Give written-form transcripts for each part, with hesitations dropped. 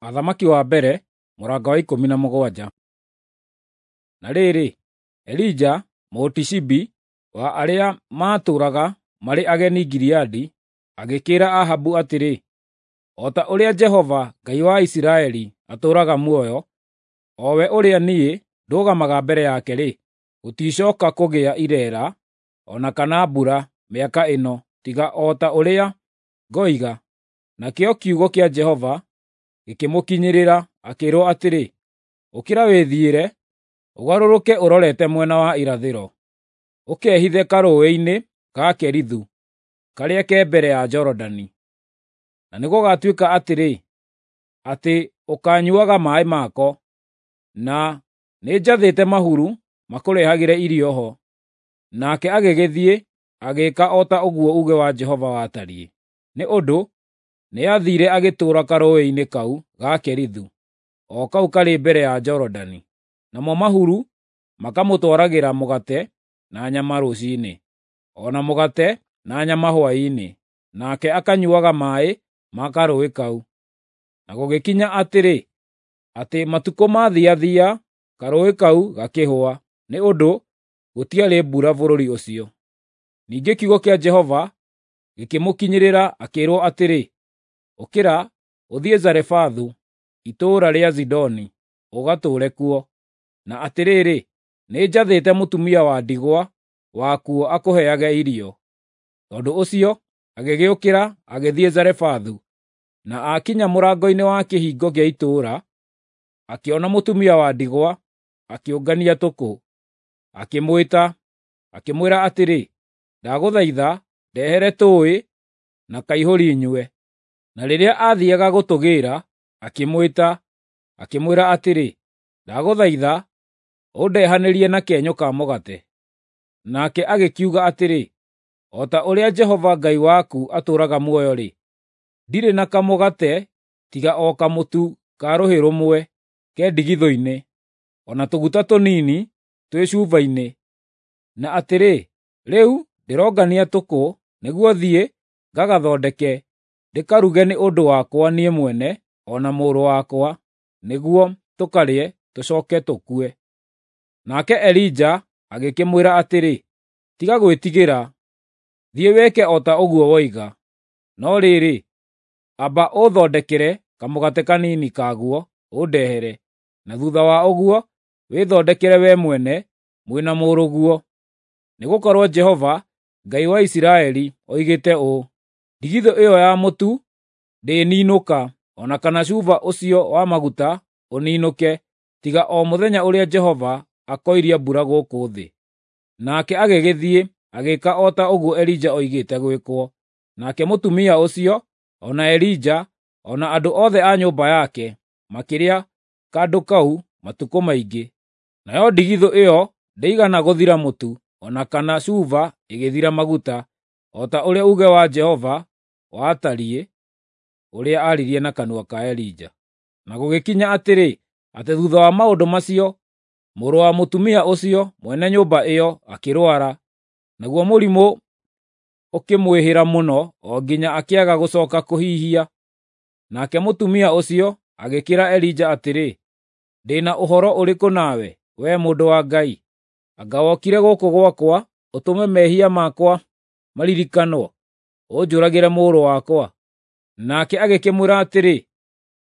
Athamaki wa mbere mũrango wa 17. Na rĩrĩ, Elija Mũtishibi wa arĩa maatũũraga marĩ ageni Gileadi agĩkĩĩra Ahabu atĩrĩ, “O ta ũrĩa Jehova, Ngai wa Isiraeli, atũũraga muoyo, o we ũrĩa niĩ ndũgamaga mbere yake-rĩ, gũticooka kũgĩa ireera o na kana mbura mĩaka ĩno tiga o ta ũrĩa ngoiga.” Nakĩo kiugo kĩa Jehova gĩkĩmũkinyĩrĩra, akĩĩrwo atĩrĩ, “Ũkĩra wĩthiĩre, ũgarũrũke ũrorete mwena wa irathĩro, ũkehithe karũũĩ-inĩ ga Kerithu, karĩa ke mbere ya Jorodani. Na nĩgũgatuĩka atĩrĩ, atĩ ũkaanyuuaga maaĩ mako, na nĩnjathĩte mahuru makũrehagĩre irio ho.” Nake agĩgĩthiĩ agĩĩka o ta ũguo uuge wa Jehova watariĩ, nĩ ũndũ nĩathiire agĩtũũra karũũĩ-inĩ kau ga Kerithu, o kau karĩ mbere ya Jorodani. Namo mahuru makamũtwaragĩra mũgate na nyama rũciinĩ, o na mũgate na nyama hwaĩ-inĩ, nake akanyuuaga maaĩ ma karũũĩ kau. Na gũgĩkinya atĩrĩ, atĩ matukũ maathiathia, karũũĩ kau gakĩhũa, nĩ ũndũ gũtiarĩ mbura bũrũri ũcio. Ningĩ kiugo kĩa Jehova gĩkĩmũkinyĩrĩra akĩĩrwo atĩrĩ, “Ũkĩra, ũthiĩ Zarefathu, itũũra rĩa Zidoni, ũgatũũre kuo. Na atĩrĩrĩ, nĩnjathĩte mũtumia wa ndigwa wakuo akũheage irio.” Tondũ ũcio agĩgĩũkĩra agĩthiĩ Zarefathu, na aakinya mũrango-inĩ wa kĩhingo gĩa itũũra, akĩona mũtumia wa ndigwa akĩũngania tũkũ. Akĩmwĩta, akĩmwĩra atĩrĩ, “Ndagũthaitha ndehere tũũĩ na kaihũri nyue.” Na rĩrĩa aathiiaga gũtũgĩĩra, akĩmwĩta, akĩmwĩra atĩrĩ, “Ndagũthaitha ũndehanĩrie na kĩenyũ ka mũgate.” Nake agĩkiuga atĩrĩ, “O ta ũrĩa Jehova Ngai waku atũũraga muoyo-rĩ, ndirĩ na kamũgate tiga o kamũtu ka rũhĩ rũmwe ke ndigithũ-inĩ, o na tũguta tũnini twĩ cuba-inĩ. Na atĩrĩ, rĩu ndĩrongania tũkũ nĩguo thiĩ ngagathondeke ndĩkaruge nĩ ũndũ wakwa niĩ mwene o na mũrũ wakwa, nĩguo tũkarĩe tũcooke tũkue.” Nake Elija agĩkĩmwĩra atĩrĩ, “Tiga gwĩtigĩra. Thiĩ wĩke o ta ũguo woiga. No rĩrĩ, amba ũũthondekere kamũgate kanini kaguo ũndehere, na thuutha wa ũguo wĩthondekere wee mwene mwĩ na mũrũguo. Nĩgũkorwo Jehova, Ngai wa Isiraeli, oigĩte ũũ: Ndigithũ ĩyo ya mũtu ndĩĩninũka, o na kana cuba ũcio wa maguta ũninũke, tiga o mũthenya ũrĩa Jehova akoiria mbura gũkũ thĩ.” Nake agĩgĩthiĩ agĩĩka o ta ũguo Elija oigĩte gwĩkwo. Nake mũtumia ũcio, o na Elija, o na andũ othe a nyũmba yake makĩrĩa kandũ kau matukũ maingĩ. Nayo ndigithũ ĩyo ndĩigana gũthira mũtu, o na kana cuba ĩgĩthira maguta, o ta ũrĩa uuge wa Jehova watariĩ, ũrĩa aaririe na kanua ka Elija. Na gũgĩkinya atĩrĩ, atĩ thuutha wa maũndũ macio, mũrũ wa mũtumia ũcio mwene nyũmba ĩyo akĩrwara, naguo mũrimũ ũkĩmwĩhĩra mũno o nginya akĩaga gũcooka kũhihia. Nake mũtumia ũcio agĩkĩĩra Elija atĩrĩ, “Ndĩ na ũhoro ũrĩkũ nawe, wee mũndũ wa Ngai? Anga wokire gũkũ gwakwa ũtũme mehia makwa maririkanwo, ũnjũragĩre mũrũ wakwa?” Nake agĩkĩmwĩra atĩrĩ,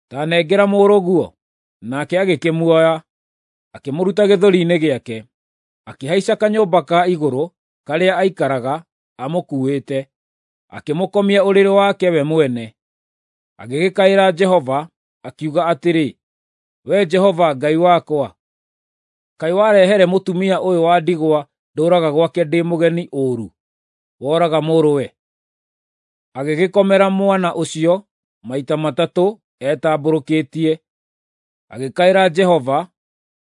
“Ta nengera mũrũguo.” Nake agĩkĩmuoya, akĩmũruta gĩthũri-inĩ gĩake, akĩhaica kanyũmba ka igũrũ karĩa aikaraga amũkuuĩte, akĩmũkomia ũrĩrĩ wake we mwene. Agĩgĩkaĩra Jehova, akiuga atĩrĩ, “Wee Jehova Ngai wakwa, kaĩ warehere mũtumia ũyũ wa ndigwa ndũũraga gwake ndĩ mũgeni ũũru, woraga mũrũwe?” Agĩgĩkomera mwana ũcio maita matatũ etambũrũkĩtie, agĩkaĩra Jehova,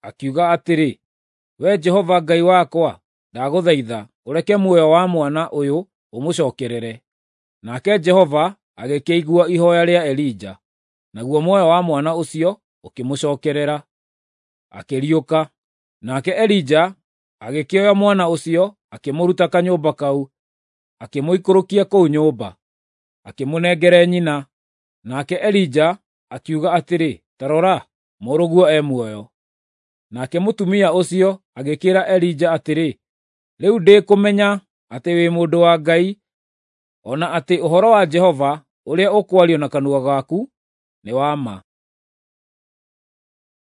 akiuga atĩrĩ, “Wee Jehova Ngai wakwa, ndagũthaitha ũreke muoyo wa mwana ũyũ ũmũcookerere.” Nake Jehova agĩkĩigua ihooya rĩa Elija, naguo muoyo wa mwana ũcio ũkĩmũcookerera, akĩriũka. Nake Elija agĩkĩoya mwana ũcio akĩmũruta kanyũmba kau, akĩmũikũrũkia kũu nyũmba, akĩmũnengere nyina. Nake Elija akiuga atĩrĩ, “Ta rora, mũrũguo e muoyo.” Nake mũtumia ũcio agĩkĩĩra Elija atĩrĩ, “Rĩu ndĩkũmenya atĩ wĩ mũndũ wa Ngai, o na atĩ ũhoro wa Jehova ũrĩa ũkwario na kanua gaku nĩ wa ma.”